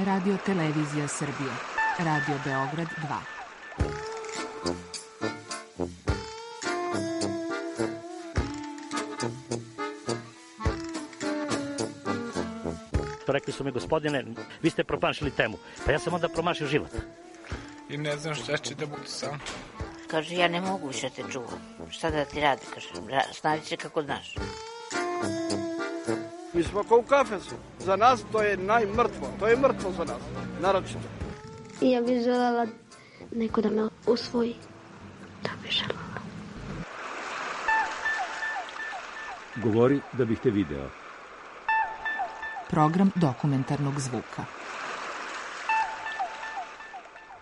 Radio Televizija Srbije. Radio Beograd 2. Rekli su mi, gospodine, vi ste promašili temu. Pa ja sam onda promašio život. I ne znam šta će da budu sam. Kaže, ja ne mogu više te čuvam. Šta da ti radi? Kaže, snađi se kako znaš. Mi smo kao u kafesu. Za nas to je najmrtvo. To je mrtvo za nas. Naročito. I ja bih želela neko da me usvoji. Da bih želela. Govori da bih te video. Program dokumentarnog zvuka.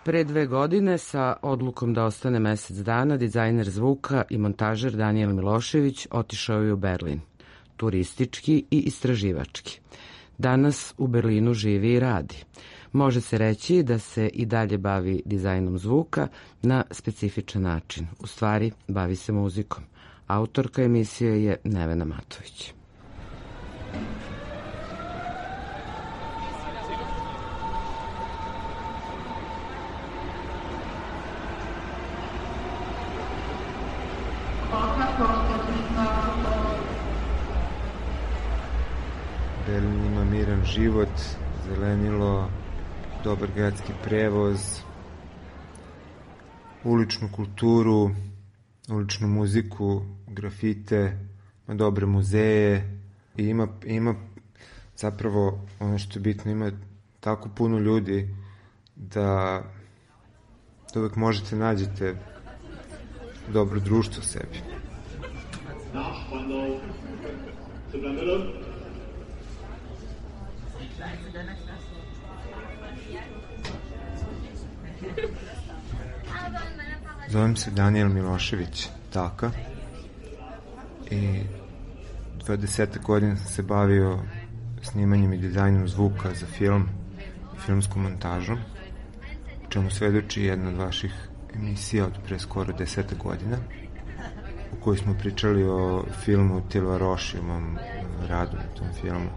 Pre 2 godine, sa odlukom da ostane mesec dana, dizajner zvuka i montažer Danijel Milošević otišao je u Berlin, turistički i istraživački. Danas u Berlinu živi i radi. Može se reći da se i dalje bavi dizajnom zvuka na specifičan način. U stvari, bavi se muzikom. Autorka emisije je Nevena Matović. Berlin ima miran život, zelenilo, dobar gradski prevoz, uličnu kulturu, uličnu muziku, grafite, ima dobre muzeje i ima zapravo, ono što je bitno, ima tako puno ljudi da uvek možete nađete dobro društvo sebi. Zovem se Danijel Milošević Taka i 20 godina sam se bavio snimanjem i dizajnom zvuka za film i filmsku montažu, čemu svedoči jedna od vaših emisija od pre skoro 10 godina u kojoj smo pričali o filmu Tilva Roši, o mom radu na tom filmu.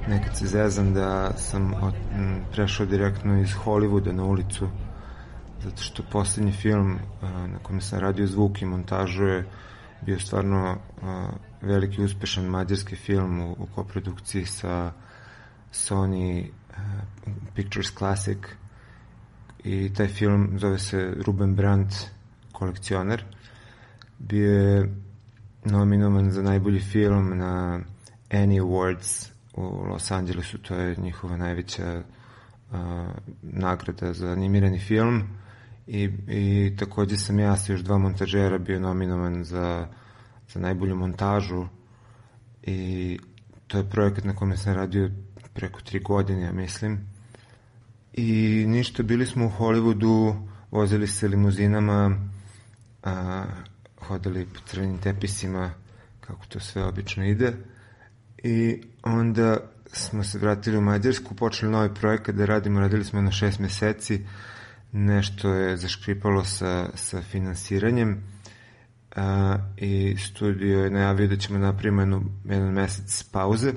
Nekad se zezam da sam prešao direktno iz Hollywooda na ulicu, zato što poslednji film na kojem sam radio zvuk i montažu je bio stvarno veliki uspešan mađarski film u koprodukciji sa Sony Pictures Classic i taj film zove se Ruben Brandt kolekcioner. Bio je nominovan za najbolji film na Annie Awards u Los Angelesu, to je njihova najveća nagrada za animirani film i takođe sam ja sa još 2 montažera bio nominovan za najbolju montažu i to je projekat na kome sam radio preko 3 godine, ja mislim. I ništa, bili smo u Hollywoodu, vozili se limuzinama, hodali po crvenim tepisima, kako to sve obično ide. I onda smo se vratili u Mađarsku, počeli novi projekat da radimo, radili smo na 6 meseci, nešto je zaškripalo sa finansiranjem i studio je najavio da ćemo napravimo jedan mesec pauze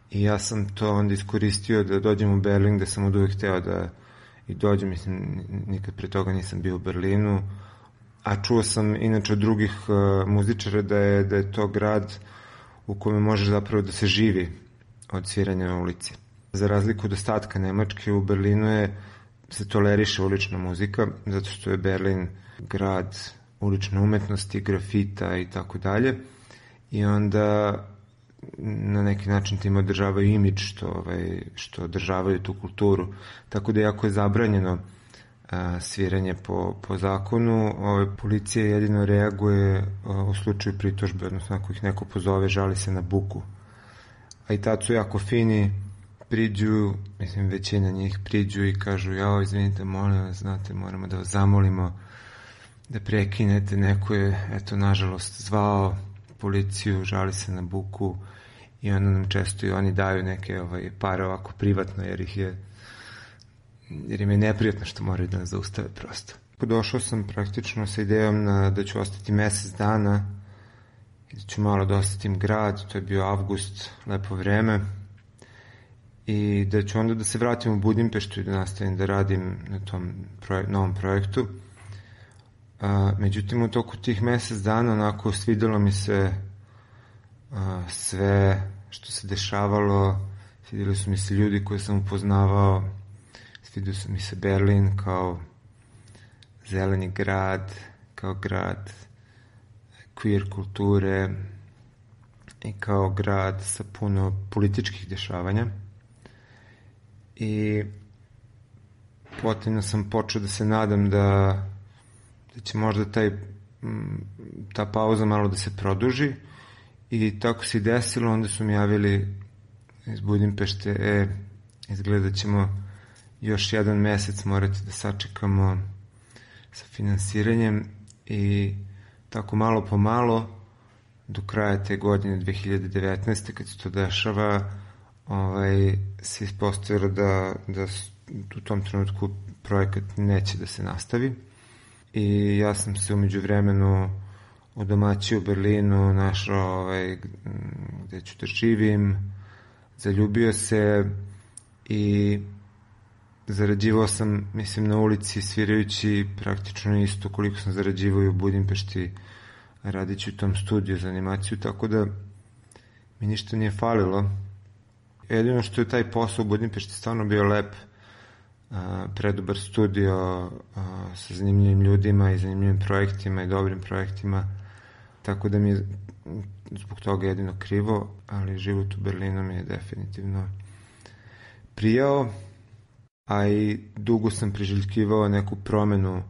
i ja sam to onda iskoristio da dođem u Berlin, da sam od uvijek hteo da i dođem, mislim, nikad pre toga nisam bio u Berlinu, a čuo sam inače od drugih muzičara da je to grad u kome može zapravo da se živi od sviranja na ulici. Za razliku od ostatka Nemačke, u Berlinu se toleriše ulična muzika, zato što je Berlin grad ulične umetnosti, grafita i tako dalje. I onda na neki način tim održavaju imidž što održavaju tu kulturu. Tako da jako je zabranjeno sviranje po zakonu. Policija jedino reaguje u slučaju pritužbe, odnosno ako ih neko pozove, žali se na buku. A i tad su jako fini, priđu, mislim većina njih priđu i kažu, jao, izvinite, molim vas, znate, moramo da vas zamolimo da prekinete, neko je, eto, nažalost, zvao policiju, žali se na buku i onda nam često i oni daju neke pare ovako privatno, jer im je neprijatno što moraju da nas zaustave prosto. Došao sam praktično sa idejom da ću ostati mesec dana i da ću malo da osetim grad, to je bio avgust, lepo vreme, i da ću onda da se vratim u Budimpeštu i da nastavim da radim na tom novom projektu. Međutim, u toku tih mesec dana onako svidelo mi se sve što se dešavalo, svidjeli su mi se ljudi koje sam upoznavao, svidio su mi se Berlin kao zeleni grad, kao grad queer kulture i kao grad sa puno političkih dešavanja. I potom sam počeo da se nadam da će možda ta pauza malo da se produži, i tako se i desilo. Onda su mi javili iz Budimpešte, izgleda ćemo još jedan mesec morati da sačekamo sa finansiranjem, i tako malo po malo do kraja te godine 2019. kad se to dešava, se ispostavilo da u tom trenutku projekat neće da se nastavi. I ja sam se umeđu vremenu udomaćio u Berlinu, našao gde ću da živim, zaljubio se i zarađivao sam, mislim, na ulici svirajući praktično isto koliko sam zarađivao u Budimpešti radići u tom studiju za animaciju, tako da mi ništa nije falilo. Jedino što je taj posao u Budimpešti stvarno bio lep, predobar studio sa zanimljivim ljudima i zanimljivim projektima i dobrim projektima, tako da mi je zbog toga jedino krivo, ali život u Berlinu mi je definitivno prijao, a i dugo sam priželjkivao neku promenu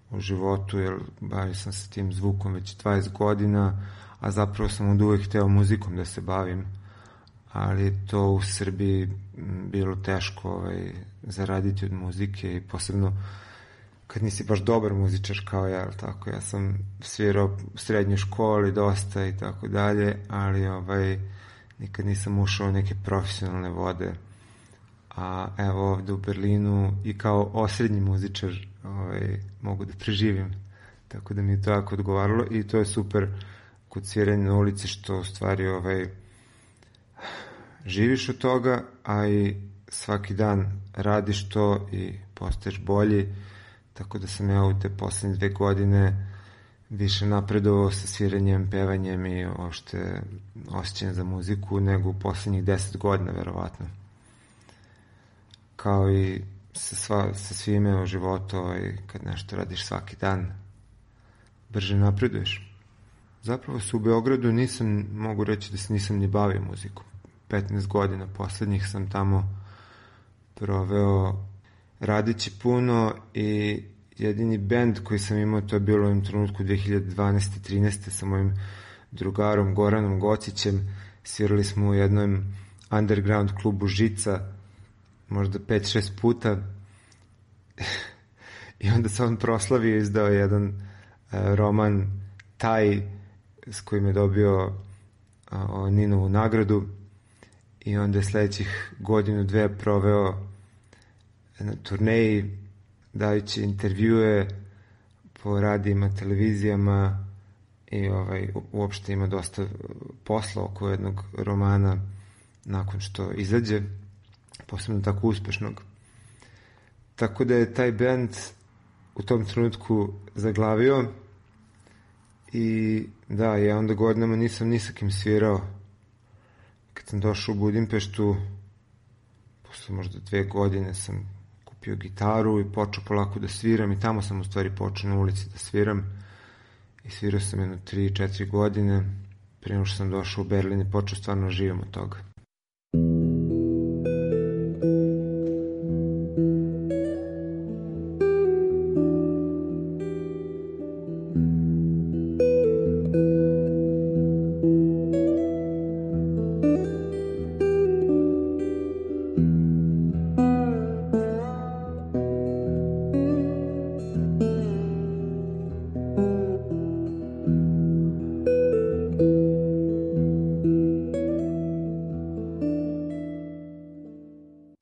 u životu, jer bavio sam se tim zvukom već 20 godina, a zapravo sam od uvek hteo muzikom da se bavim, ali to u Srbiji bilo teško zaraditi od muzike, i posebno kad nisi baš dobar muzičar kao ja, tako, ja sam svirao u srednjoj školi dosta i tako dalje, ali nikad nisam ušao u neke profesionalne vode, a evo ovde u Berlinu i kao osrednji muzičar mogu da preživim, tako da mi je to jako odgovaralo, i to je super kod sviranja na ulici, što u stvari živiš od toga, a i svaki dan radiš to i postaješ bolji, tako da sam ja u te poslednje 2 godine više napredovao sa sviranjem, pevanjem i uopšte osjećanjem za muziku nego u poslednjih 10 godina, verovatno. Kao i sa svime u životu, kad nešto radiš svaki dan, brže napreduješ. Zapravo se u Beogradu mogu reći da se nisam ni bavio muzikom. 15 godina poslednjih sam tamo proveo radići puno, i jedini bend koji sam imao, to je bilo u ovom trenutku 2012-13. sa mojim drugarom Goranom Gocićem. Svirali smo u jednom underground klubu Žica možda 5-6 puta i onda se on proslavio i izdao jedan roman Taj, s kojim je dobio Ninovu nagradu, i onda je sledećih 1-2 proveo na turneji dajući intervjue po radijima, televizijama, i uopšte ima dosta posla oko jednog romana nakon što izađe, posebno tako uspešnog. Tako da je taj bend u tom trenutku zaglavio, i da, ja onda godinama nisam ni sa kim svirao. Kad sam došao u Budimpeštu, posle možda 2 godine sam kupio gitaru i počeo polako da sviram, i tamo sam u stvari počeo na ulici da sviram, i svirao sam jedno 3-4 godine prije nego što sam došao u Berlin i počeo stvarno živim od toga.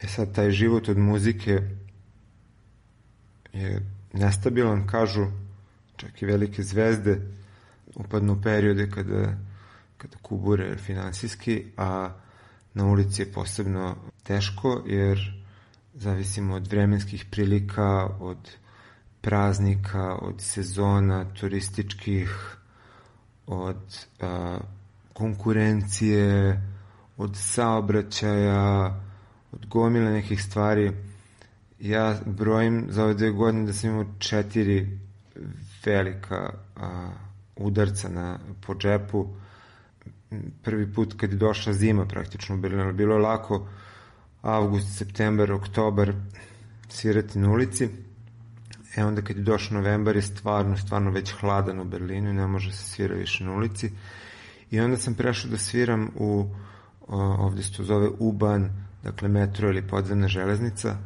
Sad, taj život od muzike je nestabilan, kažu, čak i velike zvezde upadnu u periode kada kada kubure finansijski, a na ulici je posebno teško jer zavisimo od vremenskih prilika, od praznika, od sezona turističkih, od konkurencije, od saobraćaja, od gomile nekih stvari. Ja brojim za ove 2 godine da sam imao 4 velika udarca po džepu. Prvi put kad je došla zima praktično u Berlinu, bilo je lako avgust, septembar, oktobar svirati na ulici. Onda kad je došao novembar je stvarno već hladan u Berlinu i ne može se svira više na ulici. I onda sam prešao da sviram ovde se to zove U-Bahn, dakle metro ili podzemna železnica,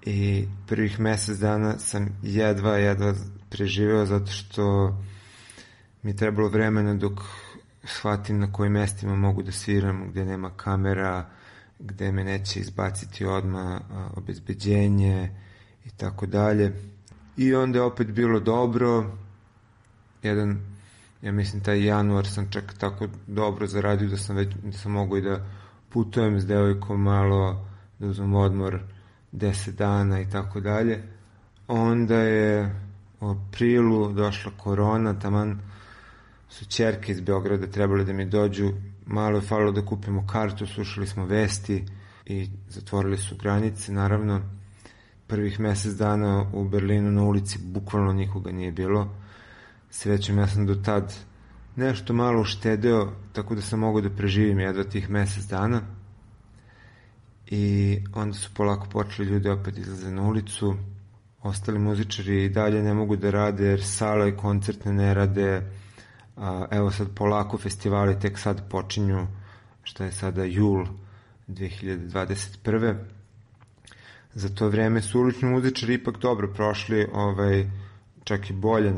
i prvih mesec dana sam jedva preživeo zato što mi je trebalo vremena dok shvatim na kojim mestima mogu da sviram, gde nema kamera, gde me neće izbaciti odmah obezbeđenje i tako dalje. I onda je opet bilo dobro. Ja mislim taj januar sam čak tako dobro zaradio da sam mogu i da putujem s devojkom malo, da uzmem odmor 10 dana i tako dalje. Onda je u aprilu došla korona, taman su ćerke iz Beograda trebali da mi dođu, malo je falilo da kupimo kartu, slušali smo vesti i zatvorili su granice, naravno. Prvih mesec dana u Berlinu na ulici bukvalno nikoga nije bilo. Srećom, ja sam do tad nešto malo uštedeo, tako da sam mogao da preživim jedva tih mesec dana. I onda su polako počeli ljudi opet izlaze na ulicu. Ostali muzičari i dalje ne mogu da rade jer sala i koncertne ne rade. Evo sad polako festivali tek sad počinju, šta je sada jul 2021. Za to vreme su ulični muzičari ipak dobro prošli, čak i bolje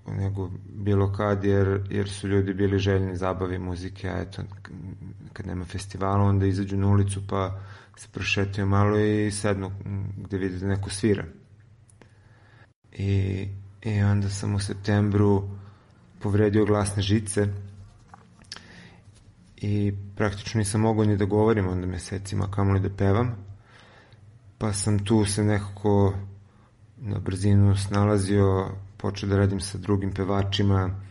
nego bilo kad, jer su ljudi bili željni zabave muzike, a eto, kad nema festivala, onda izađu na ulicu pa se prošetaju malo i sednu gde vide da neko svira. I onda sam u septembru povredio glasne žice i praktično nisam mogao ni da govorim onda mesecima, kamoli da pevam, pa sam tu se nekako na brzinu snalazio, počeo da radim sa drugim pevačima,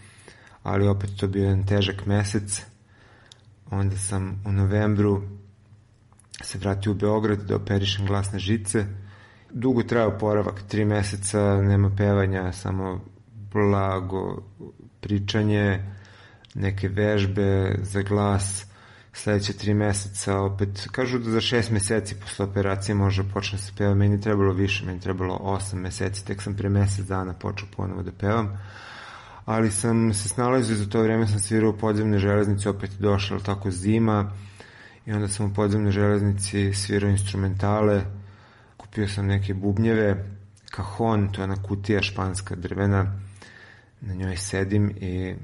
ali opet to bio jedan težak mesec. Onda sam u novembru se vratio u Beograd da operišem glasne žice. Dugo trajao oporavak, 3 meseca, nema pevanja, samo blago pričanje, neke vežbe za glas. Sledeće 3 meseca opet, kažu da za 6 meseci posle operacije može počne se peva, meni trebalo više, meni trebalo 8 meseci, tek sam pre mesec dana počeo ponovo da pevam, ali sam se snalazio, za to vreme sam svirao u podzemnoj železnici, opet došla tako zima i onda sam u podzemnoj železnici svirao instrumentale, kupio sam neke bubnjeve, cajon, to je ona kutija španska drvena, na njoj sedim i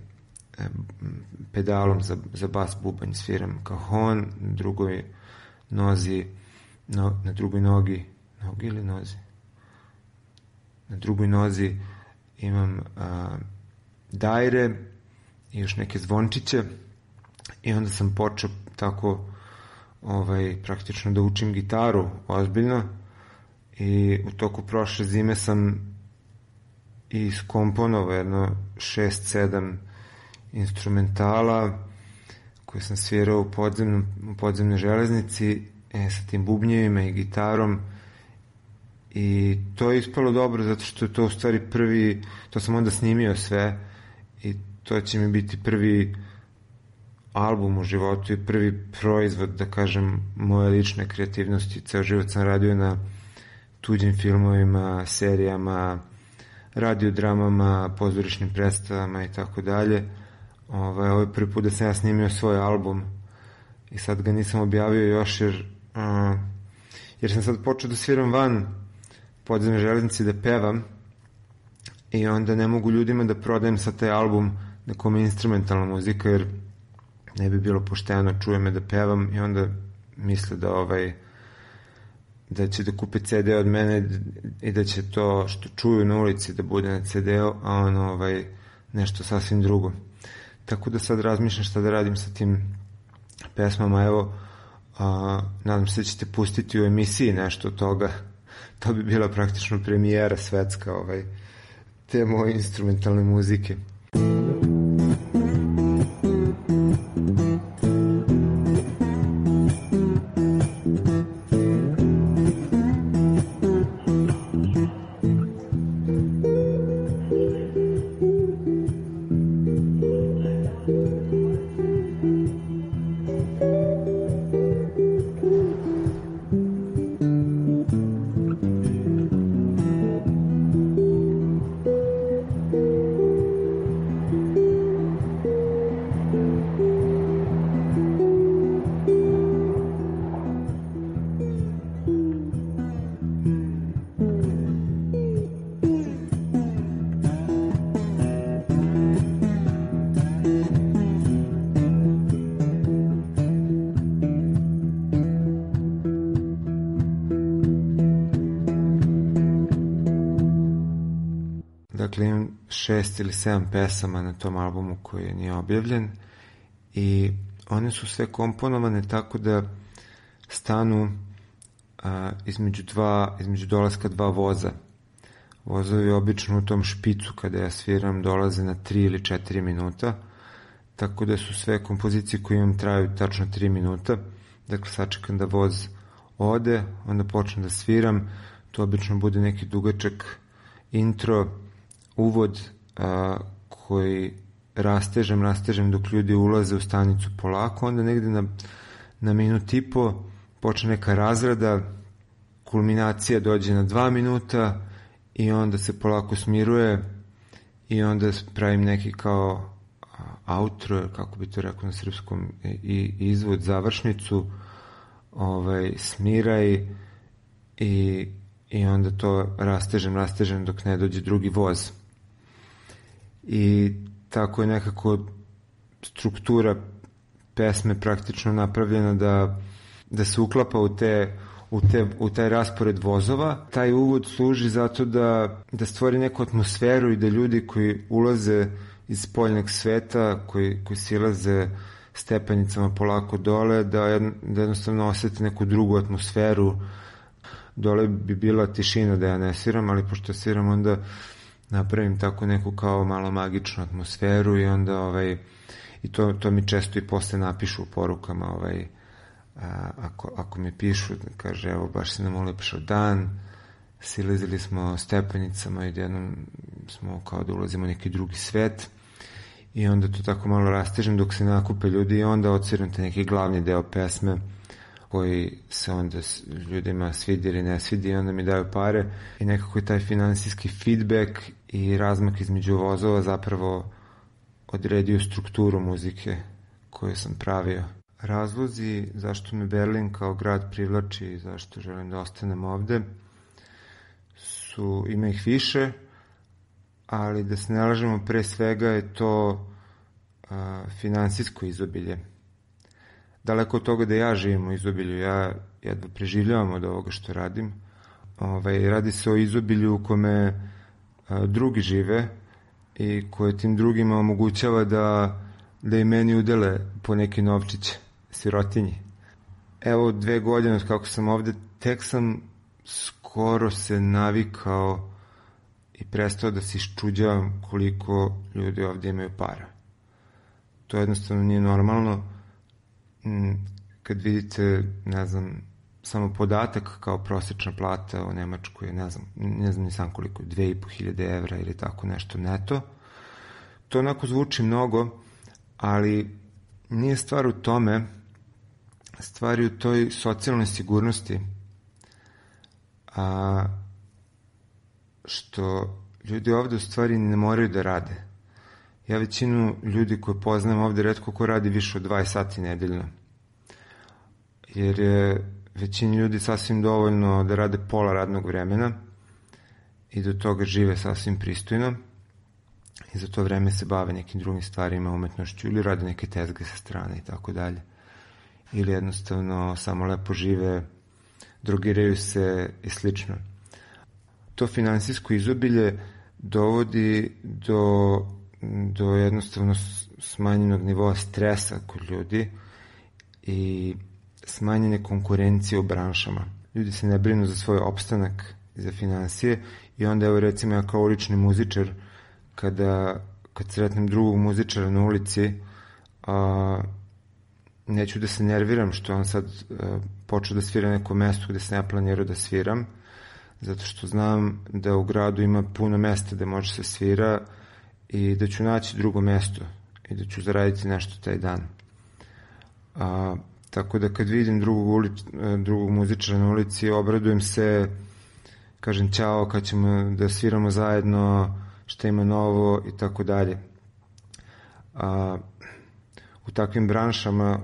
pedalom za bas bubanj sviram cajon, na drugoj nozi, na drugoj nogi ili nozi? Na drugoj nozi imam dajre i još neke zvončiće i onda sam počeo tako praktično da učim gitaru ozbiljno i u toku prošle zime sam i skomponovao jedno 6-7 instrumentala koje sam svirao u podzemnoj železnici sa tim bubnjevima i gitarom i to je ispalo dobro zato što je to u stvari prvi, to sam onda snimio sve i to će mi biti prvi album u životu i prvi proizvod, da kažem, moje lične kreativnosti. Ceo život sam radio na tuđim filmovima, serijama, radiodramama, pozorišnim predstavama i tako dalje. Ovo je prvi put da sam ja snimio svoj album i sad ga nisam objavio još jer sam sad počeo da sviram van podzemne železnice da pevam i onda ne mogu ljudima da prodajem sad taj album na kome je instrumentalna muzika jer ne bi bilo pošteno, čuje me da pevam i onda misle da će da kupe CD od mene i da će to što čuju na ulici da bude na CD-u, a nešto sasvim drugo. tako da sad razmišljam šta da radim sa tim pesmama. Evo, nadam se da ćete pustiti u emisiji nešto od toga. To bi bila praktično premijera svetska te moje instrumentalne muzike. Dakle, imam 6 ili 7 pesama na tom albumu koji nije objavljen i one su sve komponovane tako da stanu između dolaska 2 voza. Vozovi obično u tom špicu kada ja sviram dolaze na 3 ili 4 minuta, tako da su sve kompozicije koje imam traju tačno 3 minuta. Dakle, sačekam da voz ode, onda počnem da sviram, to obično bude neki dugačak intro, uvod koji rastežem dok ljudi ulaze u stanicu polako, onda negde na minut i po počne neka razrada, kulminacija dođe na 2 minuta i onda se polako smiruje i onda pravim neki kao outro, kako bi to rekao na srpskom, i izvod, završnicu, smiraj i onda to rastežem dok ne dođe drugi voz. I tako je nekako struktura pesme praktično napravljena da se uklapa u taj raspored vozova. Taj uvod služi zato da stvori neku atmosferu i da ljudi koji ulaze iz spoljnog sveta, koji silaze stepenicama polako dole, da jednostavno osjeti neku drugu atmosferu. Dole bi bila tišina da ja ne sviram, ali pošto sviram onda napravim tako neku kao malo magičnu atmosferu i onda i to mi često i posle napišu u porukama, ako mi pišu, kaže evo baš se nam ulepšao dan, silazili smo stepenicama i jednom smo kao da ulazimo u neki drugi svet i onda to tako malo rastežem dok se nakupe ljudi i onda odsviram te neki glavni deo pesme koji se onda ljudima svidi ili ne svidi i onda mi daju pare i nekako je taj finansijski feedback i razmak između vozova zapravo odredio strukturu muzike koju sam pravio. Razlozi zašto me Berlin kao grad privlači i zašto želim da ostanem ovde ima ih više, ali da se ne lažemo, pre svega je to finansijsko izobilje. Daleko od toga da ja živim u izobilju, ja jedva preživljavam od ovoga što radim. Radi se o izobilju u kome drugi žive i koje tim drugima omogućava da i meni udele po neki novčić sirotinji. Evo 2 godine od kako sam ovde, tek sam skoro se navikao i prestao da se iščuđavam koliko ljudi ovde imaju para. To jednostavno nije normalno. Kad vidite, ne znam, samo podatak kao prosječna plata u Nemačkoj, ne znam ni sam koliko, 2.500 evra ili tako nešto neto. To onako zvuči mnogo, ali nije stvar u tome, stvar je u toj socijalnoj sigurnosti, što ljudi ovde u stvari ne moraju da rade. Ja većinu ljudi koje poznajem ovde retko ko radi više od 20 sati nedeljno. Jer je većini ljudi sasvim dovoljno da rade pola radnog vremena i do toga žive sasvim pristojno i za to vreme se bave nekim drugim stvarima, umetnošću ili rade neke tezge sa strane i tako dalje. Ili jednostavno samo lepo žive, drogiraju se i slično. To finansijsko izobilje dovodi do jednostavno smanjenog nivoa stresa kod ljudi i smanjene konkurencije u branšama. Ljudi se ne brinu za svoj opstanak i za finansije i onda, evo recimo, ja kao ulični muzičar, kad sretnem drugog muzičara na ulici, neću da se nerviram što on sad počeo da svira neko mesto gde sam ja planirao da sviram, zato što znam da u gradu ima puno mesta gde može se svira i da ću naći drugo mesto i da ću zaraditi nešto taj dan. Tako da kad vidim drugog muzičara na ulici, obradujem se, kažem ćao, kad ćemo da sviramo zajedno, šta ima novo i tako dalje. U takvim branšama,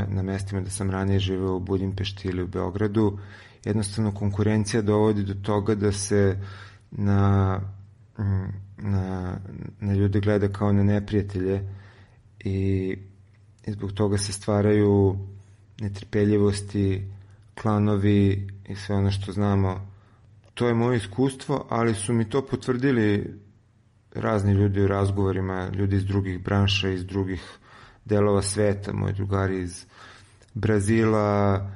na mestima da sam ranije živeo u Budimpešti ili u Beogradu, jednostavno konkurencija dovodi do toga da se na ljude gleda kao na neprijatelje i zbog toga se stvaraju netrpeljivosti, klanovi i sve ono što znamo. To je moje iskustvo, ali su mi to potvrdili razni ljudi u razgovorima, ljudi iz drugih branša, iz drugih delova sveta, moji drugari iz Brazila,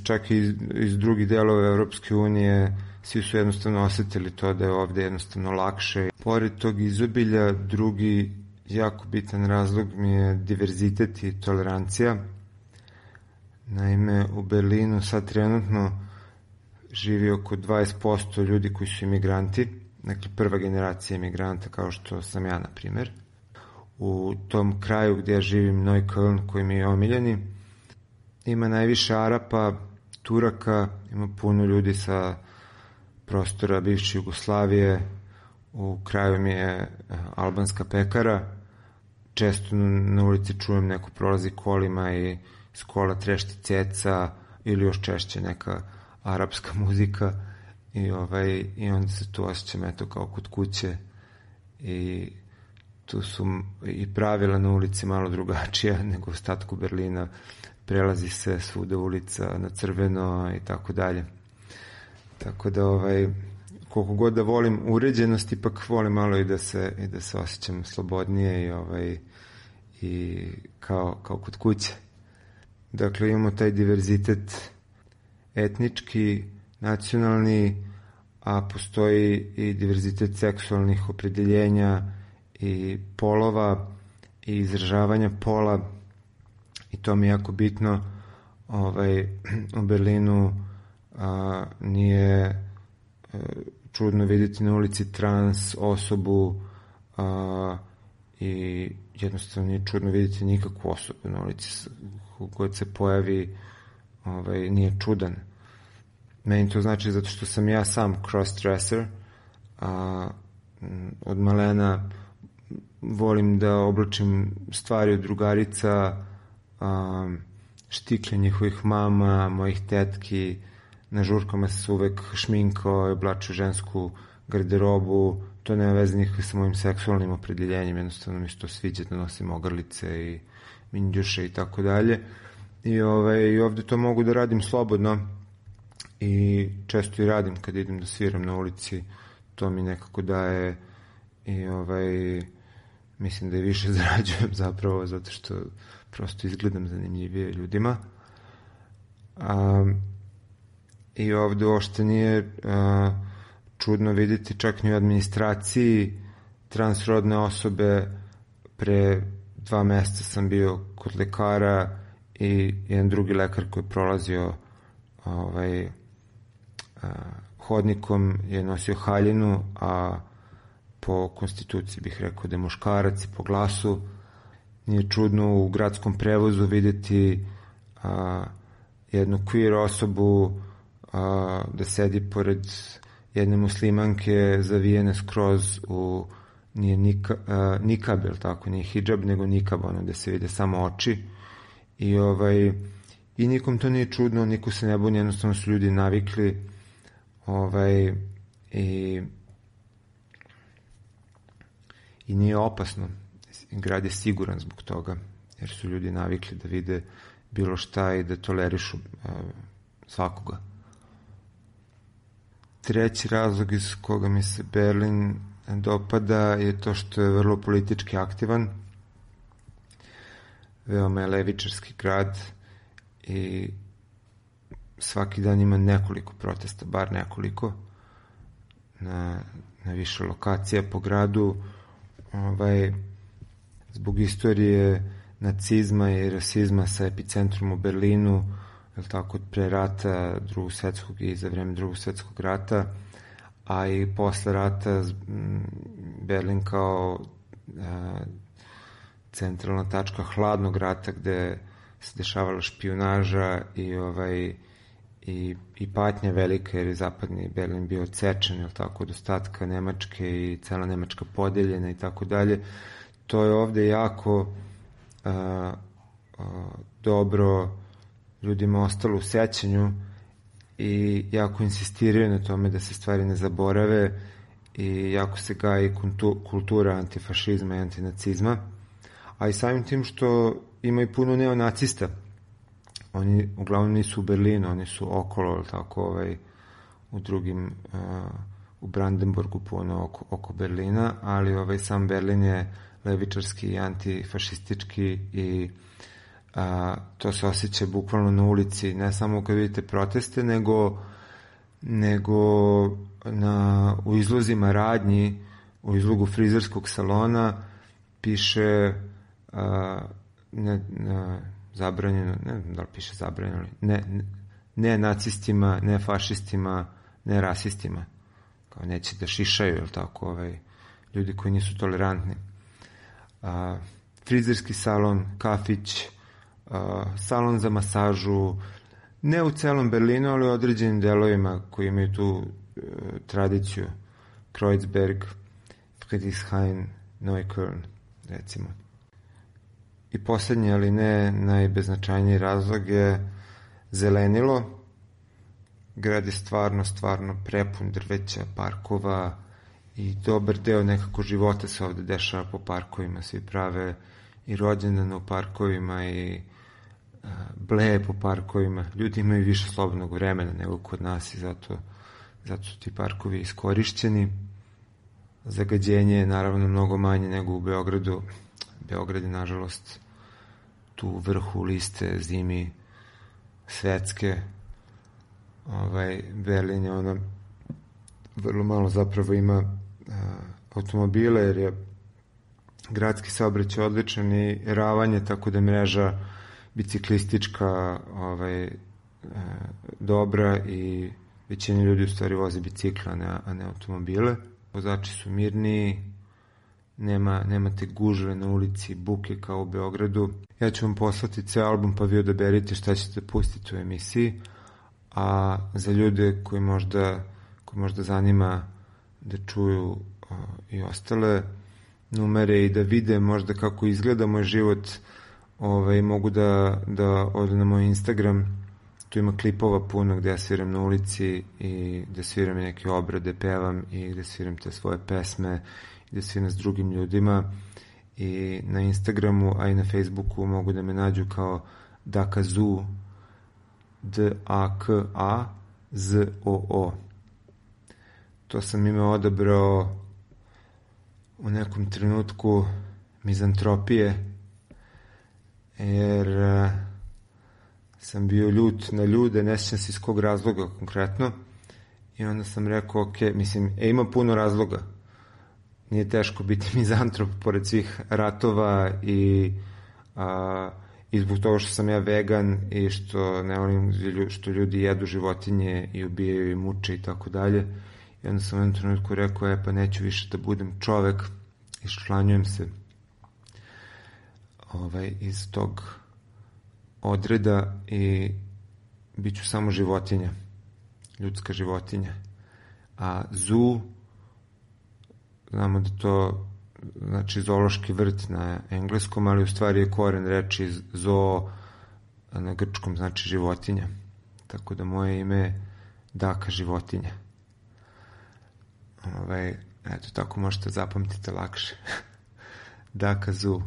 čak i iz drugih delova Evropske unije, svi su jednostavno osetili to da je ovde jednostavno lakše. Pored tog izobilja, drugi jako bitan razlog mi je diverzitet i tolerancija. Naime, u Berlinu sad trenutno živi oko 20% ljudi koji su imigranti, dakle prva generacija imigranta kao što sam ja, na primer. U tom kraju gdje ja živim, Neukölln, koji mi je omiljeni, ima najviše Arapa, Turaka, ima puno ljudi sa prostora bivše Jugoslavije, u kraju mi je albanska pekara, često na ulici čujem neko prolazi kolima i iz kola trešti ceca ili još češće neka arapska muzika i onda se tu osjećam eto kao kod kuće i tu su i pravila na ulici malo drugačija nego u ostatku Berlina, prelazi se svuda ulica na crveno i tako dalje. Tako da koliko god da volim uređenost, ipak volim malo i da se osjećam slobodnije i kao kod kuće. Dakle, imamo taj diverzitet etnički, nacionalni, a postoji i diverzitet seksualnih opredeljenja i polova i izražavanja pola i to mi je jako bitno. U Berlinu nije čudno vidjeti na ulici trans osobu i jednostavno nije čudno vidjeti nikakvu osobu na ulici koja se pojavi, nije čudan. Meni to znači zato što sam ja sam cross-dresser, od malena volim da oblačim stvari od drugarica, štikle njihovih mama, mojih tetki, na žurkama se uvek šminkao i oblačio žensku garderobu, to nema veze nikakve sa mojim seksualnim opredeljenjem, jednostavno mi se to sviđa da nosim ogrlice i minđuše i tako dalje. I ovde to mogu da radim slobodno i često i radim kad idem da sviram na ulici, to mi nekako daje i mislim da i više zarađujem zapravo zato što prosto izgledam zanimljivije ljudima. I ovde uopšte nije čudno vidjeti čak ni u administraciji transrodne osobe. Pre 2 meseca sam bio kod lekara i jedan drugi lekar koji je prolazio hodnikom je nosio haljinu, a po konstituciji bih rekao da je muškarac i po glasu. Nije čudno u gradskom prevozu vidjeti jednu queer osobu da sedi pored jedne muslimanke zavijene skroz u nije nikab, jel tako, nije hidžab, nego nikab, ono gde se vide samo oči i nikom to nije čudno, niko se ne buni, jednostavno su ljudi navikli i nije opasno. Grad je siguran zbog toga, jer su ljudi navikli da vide bilo šta i da tolerišu svakoga. Treći razlog iz koga mi se Berlin dopada je to što je vrlo politički aktivan. veoma je levičarski grad i svaki dan ima nekoliko protesta, bar nekoliko, na više lokacija po gradu, zbog istorije nacizma i rasizma sa epicentrom u Berlinu, tako od pre rata Drugog svetskog i za vreme Drugog svetskog rata, a i posle rata Berlin kao centralna tačka hladnog rata gde se dešavala špijunaža i patnja velika, jer je zapadni Berlin bio odsečen, tako, od ostatka Nemačke i cela Nemačka podeljena i tako dalje. To je ovde jako dobro ljudima ostalo u sećanju i jako insistiraju na tome da se stvari ne zaborave i jako se gaji kultura antifašizma i antinacizma, a i samim tim što ima i puno neonacista. Oni uglavnom nisu u Berlinu, oni su okolo, tako, u drugim, u Brandenburgu puno oko Berlina, ali sam Berlin je levičarski i antifašistički i to se osjeća bukvalno na ulici, ne samo kad vidite proteste, nego u izlozima radnji, u izlogu frizerskog salona piše zabranjeno, ne znam da li piše zabranjeno, ne nacistima, ne fašistima, ne rasistima, kao neće da šišaju, ili tako, ljudi koji nisu tolerantni. Frizerski salon, kafić, salon za masažu, ne u celom Berlinu, ali u određenim delovima koji imaju tu tradiciju, Kreuzberg, Friedrichshain, Neukölln, recimo. I poslednji, ali ne najbeznačajniji razlog je zelenilo. Grad je stvarno prepun drveća, parkova i dobar deo nekako života se ovde dešava po parkovima. Svi prave i rođendane u parkovima i bleje po parkovima. Ljudi imaju više slobodnog vremena nego kod nas i zato su ti parkovi iskorišćeni. Zagađenje je naravno mnogo manje nego u Beogradu. Beograd je, nažalost, tu u vrhu liste zimi svetske. Berlin je vrlo malo zapravo ima automobile, jer je gradski saobraćaj odličan i ravanje, tako da je mreža biciklistička dobra i većina ljudi u stvari voze bicikla, a ne automobile. Vozači su mirniji, nemate gužve na ulici, buke kao u Beogradu. Ja ću vam poslati ceo album pa vi odaberite šta ćete pustiti u emisiji, a za ljude koji možda zanima da čuju i ostale numere i da vide možda kako izgleda moj život, mogu da odu na moj Instagram. Tu ima klipova puno gde ja sviram na ulici i gde sviram neke obrade, pevam i gde sviram te svoje pesme i gde sviram s drugim ljudima. I na Instagramu, a i na Facebooku mogu da me nađu kao Dakazoo, D-A-K-A-Z-O-O. To sam ime odabrao u nekom trenutku mizantropije, jer sam bio ljut na ljude, ne sjećam se iz kog razloga konkretno, i onda sam rekao, ok, mislim, ima puno razloga, nije teško biti mizantrop pored svih ratova i zbog toga što sam ja vegan i što ne volim što ljudi jedu životinje i ubijaju i muče i tako dalje. I onda sam u jednom trenutku rekao, pa neću više da budem čovek, iščlanjujem se iz tog odreda i bit ću samo životinja, ljudska životinja. A zoo, znamo da to znači zoološki vrt na engleskom, ali u stvari je koren reči zoo na grčkom, znači životinja. Tako da moje ime je Daka životinja. Eto, tako možete zapamtiti lakše. Daka zoo.